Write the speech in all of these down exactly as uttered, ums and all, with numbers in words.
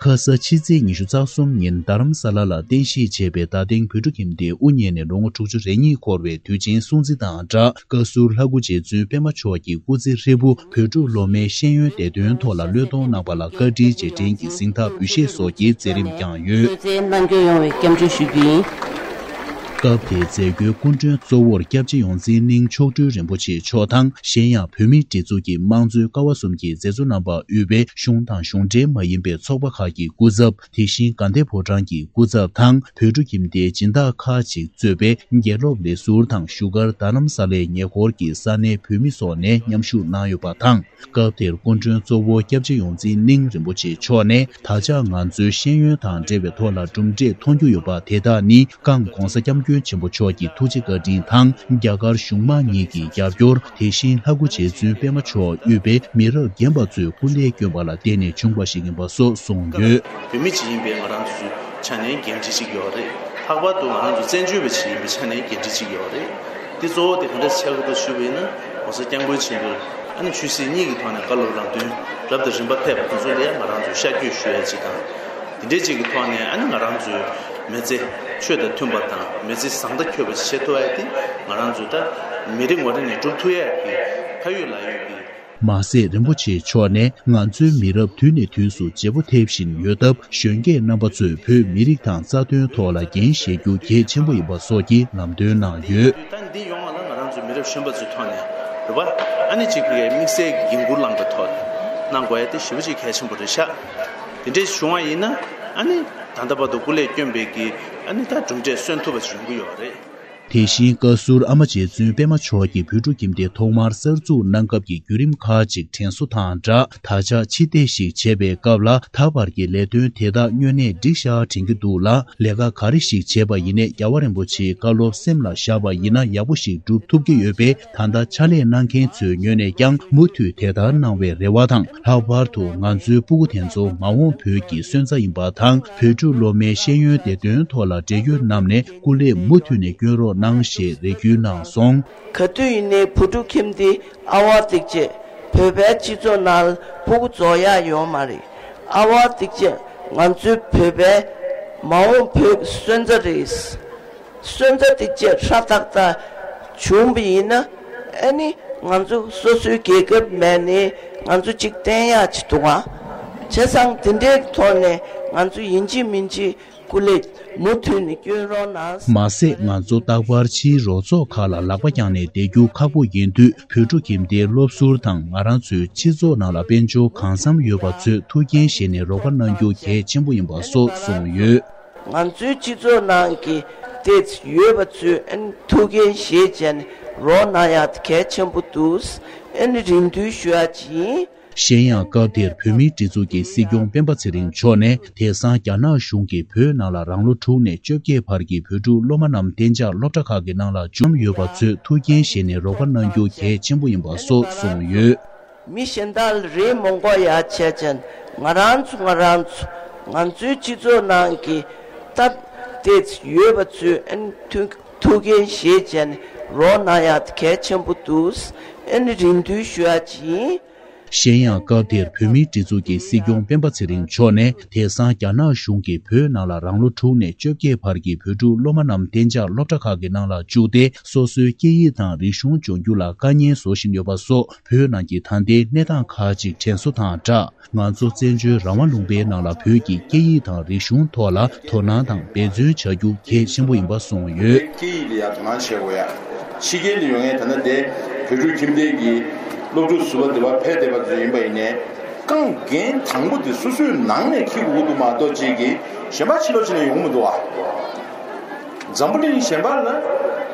ཁ་ས་ཕྱི་ཚེས་ཉི་ཤུ་རྩ་གསུམ་ཉིན་རྡ་རམ་ས་ལ་ལ་རྟེན་གཞི་བྱས་པའི་རྡ་སྟེང་བོད་ཕྲུག་ཁྱིམ་སྡེ་དབུ་བརྙེས་ནས་ལོ་ངོ་དྲུག་ཅུ་རེ་གཉིས་འཁོར་བའི་དུས་ཆེན་སྲུང་བརྩི་དང་སྦྲགས། བཀའ་ཟུར་ལྷ་སྐུ་རྗེ་བཙུན་པད་མ་མཆོག་གི་སྐུ་ཚེ་ཧྲིལ་པོ་བོད་ཕྲུག་སློབ་མའི་ཤེས་ཡོན་བདེ་དོན་ཐོག་ལ་བློས་གཏོང་གནང་པ་ལ་བཀའ་དྲིན་རྗེས་དྲན་གྱི་གཟེངས་རྟགས་འབུལ་བཞེས་སོགས་ཀྱི་མཛད་རིམ་བསྐྱངས་ཡོད། གནང་སྐྱོང་ཡོང་བའི་སྐྱབས་འཇུག་ཞུ་རྒྱུ་ཡིན། སྐབས་དེའི་མཛད་སྒོའི་སྐུ་མགྲོན་གཙོ་བོར་སྐྱབས་རྗེ་ཡོངས་འཛིན་གླིང་མཆོག་སྤྲུལ་རིན་པོ་ཆེ་མཆོག་དང་། གཞན་ཡང་བོད་མིའི་སྒྲིག་འཛུགས་ཀྱི་དམངས་གཙོའི་ཀ་བ་གསུམ་གྱི་མཛད་གཙོ་རྣམ་པ་དབུས་པའི་གཞུང་དང་གཞུང་འབྲེལ་མ་ཡིན་པའི་ཚོགས་པ་ཁག་གི་སྐུ་ཚབ། དེ་བཞིན་དགའ་ལྡན་ཕོ་བྲང་གི་སྐུ་ཚབ་དང་བོད་ཕྲུག་ཁྱིམ་སྡེའི་སྦྱིན་བདག་ཁག་ཅིག་གཙོས་པའི་དགེ་སློབ་ལས་ཟུར་དང་བཞུགས་སྒར་རྡ་རམ་ས་ལའི་ཉེ་འཁོར་གྱི་ས་གནས་བོད་མི་སོགས་ནས་མཉམ་ཞུགས་གནང་ཡོད་པ་དང་། སྐབས་དེར་སྐུ་མགྲོན་གཙོ་བོ་སྐྱབས་རྗེ་ཡོངས་འཛིན་གླིང་རིན་པོ་ཆེ་མཆོག་ནས་ད་ཆ་ང་ཚོའི་ཤེས་ཡོན་དང་འབྲེལ་བའི་ཐོག་ལ་གྲུབ་འབྲས་མཐོང་རྒྱུ་ཡོད་པ་དེ་དག་ནི་གངས་གོང་ས་སྐྱབས་མགོན་ཆེན་པོ་མཆོག་གི་ཐུགས་རྗེ་བཀའ་དྲིན་དང་རྒྱ་གར་གཞུང་མང་གཉིས་ཀྱི་རྒྱབ་སྐྱོར། དེ་བཞིན་ལྷ་སྐུ་རྗེ་བཙུན་པད་མ་མཆོག་དབུས་པའི་མི་རབས་རྒན་པ་ཚོའི་སྐུ་ལས་བསྐྱོན་པ་ལ་བརྟེན་ནས་བྱུང་བ་ཞིག་ཡིན་པ་སོགས་གསུངས་ཡོད། བོད་མི་ཅིག་ཡིན་པའི་ང་རང་ཚོའི་ཆ་ནས་འགན་འཁྲི་ཅིག་ཡོད་རེད། ལྷག་པར་དུ་ང་རང་ཚོ་བཙན་བྱོལ་བ་ཅིག་ཡིན་པའི་ཆ་ནས་འགན་འཁྲི་ཅིག་ཡོད་རེད། འདི་གཙོ་བོ་དེ་ག་འདྲ་ཆགས་ཀྱི་འདུག་ཞུས་པ་ཡིན་ན། ༸གོང་ས་༸སྐྱབས་མགོན་ཆེན་པོས་ཨ་ནི་ཆོས་སྲིད་གཉིས་ཀྱི་ཐོག་ནས་བཀའ་སློབ་ལམ་སྟོན་རབ་དང་རིམ་པ་ཕེབས་པ་དེ་ཚོ་ལ་ང་རང་ཚོས་ཤར་བསྐྱོད་ཞུ་ཡ་ཅིག་དང་། དེ་འདྲའི་ཅིག་གི་ཐོག་ནས་ཨ་ནི་ང་རང་ཚོའི་མི་ཚེ་ཆོས་དང་མཐུན་པ་དང་མི་ཚེ་བཟང་དང་འཁྱོལ་བ་ཞིག་བྱེད་ཐུབ་ཡ་དེ་ང་རང་ཚོ་ད་མི་རེ་ངོ་རེ་ནས་སྒྲུབ་ཐུབ་ཡ་གི་ཕ་ཡུལ་ལ་ཡོད་ཀྱི། མ་ཟད་རིན་པོ་ཆེ་མཆོག་ནས་ང་ཚོའི་མི་རབས་དུས་ནས་དུས་སུ་བརྗེ་པོ་ཐེབས་བཞིན་ཡོད་སྟབས། གཞོན་སྐྱེས་རྣམ་པ་ཚོས་བོད་མི་རིགས་དང་རྩ་དོན་ཐོག་ལ་འགན་བཞེས་རྒྱུ་གལ་ཆེན་པོ་ཡིན་པ་སོགས་ཀྱི་ལམ་སྟོན་གནང་ཡོད། ད་འདི་ཡོང་བ་ལ་ང་རང་ཚོའི་མི་རབས་གཞོན་པ་ཚོའི་ཐོག་ནས་རེད་པ། ཨ་ནི་གཅིག་གི་དམིགས་བསལ་གྱི་འགན་འཁུར་བླངས་པའི་ཐོག་གནང་དགོས་ཡ་དེ་ཞེ་པོ་ཅིག་གལ་ཆེན་པོ་རེད་ཤག་དེ་འདྲས་བྱུང་བ་ཡིན་ན་ཨ་ནི་ད་ལྟ་བར་དུ་སྐུ་ལས་བསྐྱོན་པའི་གི་ཨ་ནི་ད་གྲུབ་འབྲས་སོན་ཐུབ་པ་ཞིག་ཡོང་གི་ཡོད་རེད། དེ་བཞིན་བཀའ་ཟུར་ཨ་མ་རྗེ་བཙུན་པད་མ་མཆོག་གིས་བོད་ཕྲུག་ཁྱིམ་སྡེ་ཐོག་མར་གསར་འཛུགས་གནང་སྐབས་ཀྱི་བརྒྱུད་རིམ་ཁག་ཅིག་དྲན་གསོ་དང་སྦྲགས། ད་ཆ་ཕྱི་བལྟས་ཤིག་བྱེད་པའི་སྐབས་ལ་ད་བར་གྱི་ལས་དོན་དེ་དག་དངོས་གནས་འགྲིག་ཤག་དྲན་གྱི་འདུག་ལ། ལས་ཀ་ག་རེ་ཞིག་བྱས་པ་ཡིན་ནའི་རྒྱལ་བ་རིན་པོ་ཆེའི་བཀའ་སློབ་སེམས་ལ་བཞག་པ་ཡིན་ན་ཡག་པོ་ཞིག་སྒྲུབ་ཐུབ་ཀྱི་ཡོད་པས། ད་ལྟ་ཕྱག་ལས་གནང་མཁན་ཚོའི་ངོས་ནས་ཀྱང་མུ་མཐུད་དེ་ལྟར་གནང་བའི་རེ་བ་དང་། ལྷག་པར་དུ་ང་ཚོའི་སྤུ་གུ་དེ་ཚོ་མ་འོངས་བོད་ཀྱི་སོན་རྩ་ཡིན་པ་དང་། བོད་ཕྲུག་སློབ་མའི་ཤེས་ཡོན་བདེ་དོན་ཐོག་ལ་འབྲེལ་ཡོད་རྣམས་ནས་སྐུ་ལས་མུ་མཐུད་ནས་སྐྱོན་རོགས་གནང་ཞེས་རེ་སྐུལ་གནང་སོང་། ག་དུས་ཡིན་ནའི་བོད་ཕྲུག་ཁྱིམ་སྡེ་ཨ་ཝ་སྟིག་ཅེ་བོད་པའི་སྤྱི་ཚོགས་ནང་ལ་སྤུ་གུ་རྫོགས་ཡག་ཡོད་མ་རེད། ཨ་ཝ་སྟིག་ཅེ་ང་ཚོའི་བོད་པའི་མ་འོངས་བོད་ཀྱི་སོན་རྩ་རེད། སོན་རྩ་དེ་བཅས་ཧྲ་ཏག་ཏག་བྱུང་བ་ཡིན་ན། ཨ་ནི་ང་ཚོ་སོ་སོའི་རྒྱལ་ཁབ་མེད་ནའི་ང་ཚོ་གཅིག་བརྟན་ཡག་ཅིག་འདུག་ག་བྱས་ཙང་དེ་འདྲའི་ཐོག་ནས་ང་ཚོ་ཡིན་གཅིག་མིན་གཅིག་སྐུ་ལས་མུ་མཐུད་ནས་སྐྱོན་རོགས་གནང་། མ་ཟད་ང་ཚོ་རྟག་པར་ཕྱིའི་རོགས་ཚོགས་ཁག་ལ་ལག་པ་བརྐྱངས་ནས་བསྡད་རྒྱུ་ཁག་པོ་ཡིན་དུས། བོད་ཕྲུག་ཁྱིམ་སྡེའི་སློབ་ཟུར་དང་ང་རང་ཚོའི་སྤྱི་ཚོགས་ནང་ལ་དཔལ་འབྱོར་གང་འཚམ་ཡོད་པ་ཚོས་ཐུགས་འགན་བཞེས་ནས་རོགས་པ་གནང་རྒྱུ་གལ་ཆེན་པོ་ཡིན་པ་སོགས་གསུངས་ཡོད། ང་ཚོའི་སྤྱི་ཚོགས་ནང་གི་ཏོག་ཙམ་ཡོད་པ་ཚོས་ཨ་ནི་ཐུགས་འགན་བཞེས་བྱས་ནས་རོགས་གནང་ཡག་གལ་ཆེན་པོ་འདུག་ཨ་ནི་རེ་འདུན་ཞུ་ཡག་ཅིག་ཡིན། གཞན་ཡང་སྐབས་དེར་བོད་མིའི་སྒྲིག་འཛུགས་ཀྱི་སྲིད་སྐྱོང་སྤེན་པ་ཚེ་རིང་མཆོག་ནས་དེང་སང་རྒྱ་ནག་གཞུང་གིས་བོད་ནང་ལ་རང་ལོ་དྲུག་ནས་བཅོ་བརྒྱད་བར་གྱི་བོད་ཕྲུག་སློབ་མ་རྣམས་གཏན་འཇགས་སློབ་གྲྭ་ཁག་གི་ནང་ལ་འཇུག་ཡོད་པ་ཚོས་ཐུགས་འགན་བཞེས་ནས་རོགས་པ་གནང་རྒྱུ་གལ་ཆེན་པོ་ཡིན་པ་སོགས་གསུངས་ཡོད། མི་གཞན་དག་ལ་རེ་མོང་གོ་ཡ་བྱས་ཙང་ང་རང་ཚོ་ང་རང་ཚོ་ང་ཚོའི་སྤྱི་ཚོགས་ནང་གི་སྟབས་བདེ་ཡོད་པ་ཚོས་ཨ་ནི་ཐུགས་ཐུགས་འགན་བཞེས་བྱས་ནས་རོགས་གནང་ཡག་གལ་ཆེན་པོ་འདུག་ཨ་ནི་རེ་འདུན་ཞུ་ཡག་ཅིག་ཡིན། གཞན་ཡང་སྐབས་དེར་བོད་མིའི་སྒྲིག་འཛུགས་ཀྱི་སྲིད་སྐྱོང་སྤེན་པ་ཚེ་རིང་མཆོག་ནས་དེང་སང་རྒྱ་ནག་གཞུང་གིས་བོད་ནང་ལ་རང་ལོ་དྲུག་ནས་བཅོ་བརྒྱད་བར་གྱི་བོད་ཕྲུག་སློབ་མ་རྣམས་གཏན་འཇགས་སློབ་གྲྭ་ཁག་གི་ནང་ལ་བཅུག་སྟེ། སོ་སོའི་སྐད་ཡིག་དང་རིག་གཞུང་སྦྱོང་རྒྱུ་ལ་དཀའ་ངལ་བཟོ་བཞིན་ཡོད་པ་སོགས། བོད་ནང་གི་ད་ལྟའི་གནས་སྟངས་ཁག་ཅིག་དྲན་གསོ་དང་སྦྲགས། ང་ཚོ་བཙན་བྱོལ་རང་དབང་ལུང་པའི་ནང་ལ་བོད་ཀྱི་སྐད་ཡིག་དང་རིག་གཞུང་ཐོག་ལ་དོ་སྣང་དང་འབད་བརྩོན་བྱ་རྒྱུ་གལ་ཆེན་པོ་ཡིན་པ་གསུངས་ཡོད། སྐད་ཡིག་ལ་ཡང་དོ་སྣང་བྱེད་དགོས་ཡ། ཕྱི་རྒྱལ་ནས་ཡོང་མཁན་ད་ལྟ་དེ་བོད་ཕྲུག་ཁྱིམ་སྡེ་གི་སློབ་ཕྲུག་ཟུར་པ་འདི་པར་ཕེབས་བསྡད་པ་ཚོ་ཡིན་པ་ཡིན་ནའི། རྐང་འགན་དང་པོ་དེ་སོ་སོའི་ནང་ནས་འཁྱེར་དགོས་ཀྱི་འདུག་མ་གཏོགས་ཅིག་གིས་གཞན་པ་ཕྱི་ལོགས་ཕྱི་ནས་ཡོང་གི་མི་འདུག་བ། འཛམ་བུ་གླིང་གཞན་པ་ལ་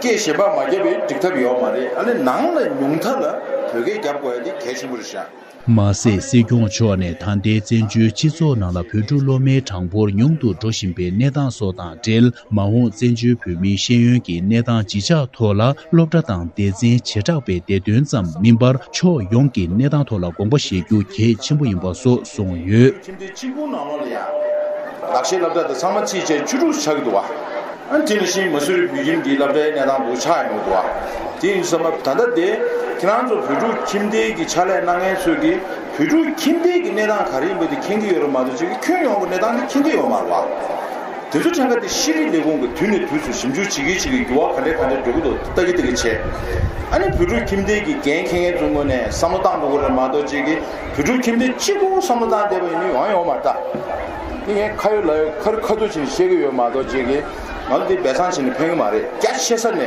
སྐད་གཞན་པ་མ་བརྒྱབ་པའི་འགྲིག་ཐབས་ཡོད་མ་རེད། ཨ་ནི་ནང་ལ་ཉུང་མཐའ་ལ་བོད་སྐད་རྒྱབ་དགོས་ཡ་དེ་གལ་ཆེན་པོ་རེད་ཤག་མ་ཟད་སྲིད་སྐྱོང་མཆོག་ནས་ད་ལྟའི་བཙན་བྱོལ་སྤྱི་ཚོགས་ནང་ལ་བོད་ཕྲུག་སློབ་མའི་གྲངས་འབོར་ཉུང་དུ་འགྲོ་བཞིན་པའི་གནས་སྟངས་སོགས་དང་འབྲེལ། མ་འོངས་བཙན་བྱོལ་བོད་མིའི་ཤེས་ཡོན་གྱི་གནས་སྟངས་ཇི་ཆགས་ཐོག་ལ་སློབ་གྲྭ་དང་སྡེ་ཚན་བྱེ་བྲག་པའི་སྡེ་ཚན་ཙམ་མིན་པར། ཕྱོགས་ཡོངས་ཀྱི་གནས་སྟངས་ཐོག་ལ་དགོངས་པ་བཞེས་རྒྱུ་གལ་ཆེན་པོ་ཡིན་པ་སོགས་གསུངས་ཡོད། ཁྱིམ་སྡེ་གཅིག་པུ་ནང་ལོགས་ལ་ཡང་ལག་ཤེས་སློབ་གྲྭ་དང་ཚང་མ་ཚིག་བཅད་བཅུ་དྲུག་ཆགས་ཀྱི་འདུག་བ། ཨ་དེ་ནང་བཞིན་མ་སུ་རི་བོད་ཁྱིམ་གྱི་སློབ་གྲྭའི་གནས་སྟངས་འདུག་ཆགས་ཡོང་གི་འདུག་བ། དེ་ཡིན་དུས་ཙམ་པ་ད་ལྟ་དེ་ཁྱེད་རང་ཚོ་བོད་ཕྲུག་ཁྱིམ་སྡེ་གི་ཕྱག་ལས་གནང་མཁན་ཚོས་ཀྱི་ བོད་ཕྲུག་ཁྱིམ་སྡེ་གི་གནས་སྟངས་ག་རེ་ཡིན་པ་དེ་མཁྱེན་གྱི་ཡོད་རེད་མ་གཏོགས་ཅིག་གི་ཁྱོན་ཡོངས་ཀྱི་གནས་སྟངས་དེ་མཁྱེན་གྱི་ཡོད་མ་རེད་བ། དེ་ཚོ་ཕྲན་ཁ་དེ་ཤེས་རིག་ལས་ཁུངས་ཀྱི་དུས་ནས་དུས་སུ་ཞིབ་འཇུག་བྱེད་ཀྱི་བྱེད་ཀྱི་འགྱུར་བ་ག་འདྲ་ག་འདྲ་འགྲོ་གི་འདུག་ལྟ་གི་ལྟ་གི་བྱས། ཨ་ནི་བོད་ཕྲུག་ཁྱིམ་སྡེ་གི་འགན་འཁྱེར་མཁན་ཚོའི་ངོས་ནས་བསམ་བློ་བཏང་དགོས་ཀྱི་རེད་མ་གཏོགས་ཅིག་གི་བོད་ཕྲུག་ཁྱིམ་སྡེ་གཅིག་པུ་བསམ་བློ་བཏང་བསྡད་པ་ཡིན་ན་ཡོང་ཡོང་མ་རེད་ད། དེ་ངས་ཁ་ཡོད་ལག་ཡོད་ཁ་རི་ཁ་ཐུག་བྱས་ནས་བཤད་ཀྱི་ཡོད་མ་གཏོགས་ཅིག་གི་ང་ཚོ་འདི་སྦས་གསང་བྱས་ནས་ཕན་གྱི་མ་རེད། རྒྱ་ཆེ་ས་ནས་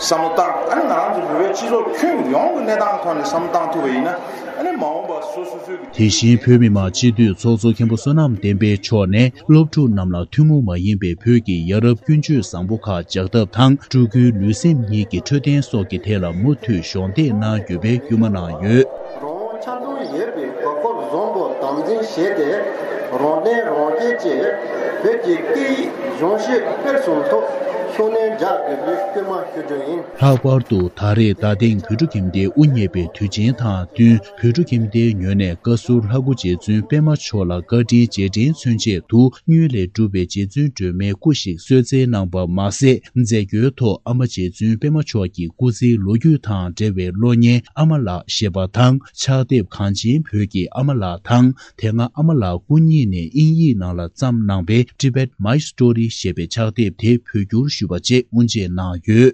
བསམ་བློ་བཏང་། ཨ་ནི་ང་རང་ཚོ་བོད་པའི་སྤྱི་ཚོགས་ཁྱོན་ཡོངས་ཀྱི་གནས་སྟངས་ཐོག་ནས་བསམ་བློ་བཏང་ཐུབ་པ་ཡིན་ན། ཨ་ནི་མ་འོངས་པ་སོ་སོ་སོའི་གི་དེ་བཞིན་བོད་མི་མང་སྤྱི་འཐུས་ཚོགས་གཙོ་མཁན་པོ་བསོད་ནམས་བསྟན་འཕེལ་མཆོག་ནས་སློབ་ཕྲུག་རྣམས་ལ་ཐུན་མོང་མ་ཡིན་པའི་བོད་ཀྱི་ཡ་རབས་ཀུན་སྤྱོད་བཟང་པོ་ཁག་སྦྱར་ཐབས་དང་། སྤྲུལ་སྐུའི་ལུས་སེམས་གཉིས་ཀྱི་འཕྲོད་བསྟེན་སོགས་ཀྱི་ཐད་ལ་མུ་མཐུད་གཞོགས་འདེགས་གནང་དགོས་པའི་སྐུལ་མ་གནང་ཡོད། རང་ཆ་ཚང་ཡོད་པའི་གོ་སྐབས་བཟང་པོ་དམ་འཛིན་བྱས་ཏེ། རང་བརྟེན་རང་བསྐྱེད་ཀྱིས་བོད་ཀྱི་སྐད་ཡིག་གཞུང་ཤེས་སྤེལ་གསུམ་ཐོག་ཤུགས་སྣོན་རྒྱག་དགོས་པའི་སྐུལ་མ་ཞུ་རྒྱུ་ཡིན། ལྷག་པར་དུ་ད་རེས་རྡ་སྟེང་བོད་ཕྲུག་ཁྱིམ་སྡེའི་དབུ་བརྙེས་པའི་དུས་ཆེན་དང་བསྟུན། བོད་ཕྲུག་ཁྱིམ་སྡེའི་ངོས་ནས་བཀའ་ཟུར་ལྷ་སྐུ་རྗེ་བཙུན་པད་མ་མཆོག་ལ་བཀའ་དྲིན་རྗེས་དྲན་མཚོན་ཆེད་དུ། དངུལ་ལས་གྲུབ་པའི་རྗེ་བཙུན་སྒྲོལ་མའི་སྐུ་ཞིག་གསོལ་སྩལ་གནང་པ་མ་ཟད། མཛད་སྒོའི་ཐོག་ཨ་མ་རྗེ་བཙུན་པད་མ་མཆོག་གི་སྐུ་ཚེའི་ལོ་རྒྱུས་དང་འབྲེལ་བའི་གློག་བརྙན་ཨ་མ་ལགས་ཞེས་པ་དང་། ཕྱག་དེབ་གངས་ཅན་བོད་ཀྱི་ཨ་མ་ལགས་དང་། དེ་སྔ་ཨ་མ་ལགས་སྐུ་ཉིད་ནས་དབྱིན་ཡིག་ནང་ལ་བརྩམས་གནང་པའི་Tibet My Story ཞེས་པའི་ཕྱག་དེབ་དེ་བོད་བསྒྱུར་ཞུས་པ་བཅས་དབུ་འབྱེད་གནང་ཡོད།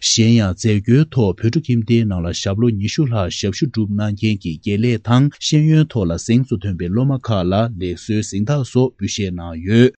གཞན་ཡང་མཛད་སྒོའི་ཐོག་བོད་ཕྲུག་ཁྱིམ་སྡེའི་ནང་ལ་ཞབས་ལོ་ཉི་ཤུ་ལྷག་ཞབས་ཞུ་བསྒྲུབས་གནང་མཁན་གྱི་དགེ་ལས་དང་ཤེས་ཡོན་ཐོག་ལ་གཟེངས་སུ་ཐོན་པའི་སློབ་མ་ཁག་ལ་ལེགས་གསོའི་གཟེངས་རྟགས་སོགས་འབུལ་བཞེས་གནང་ཡོད།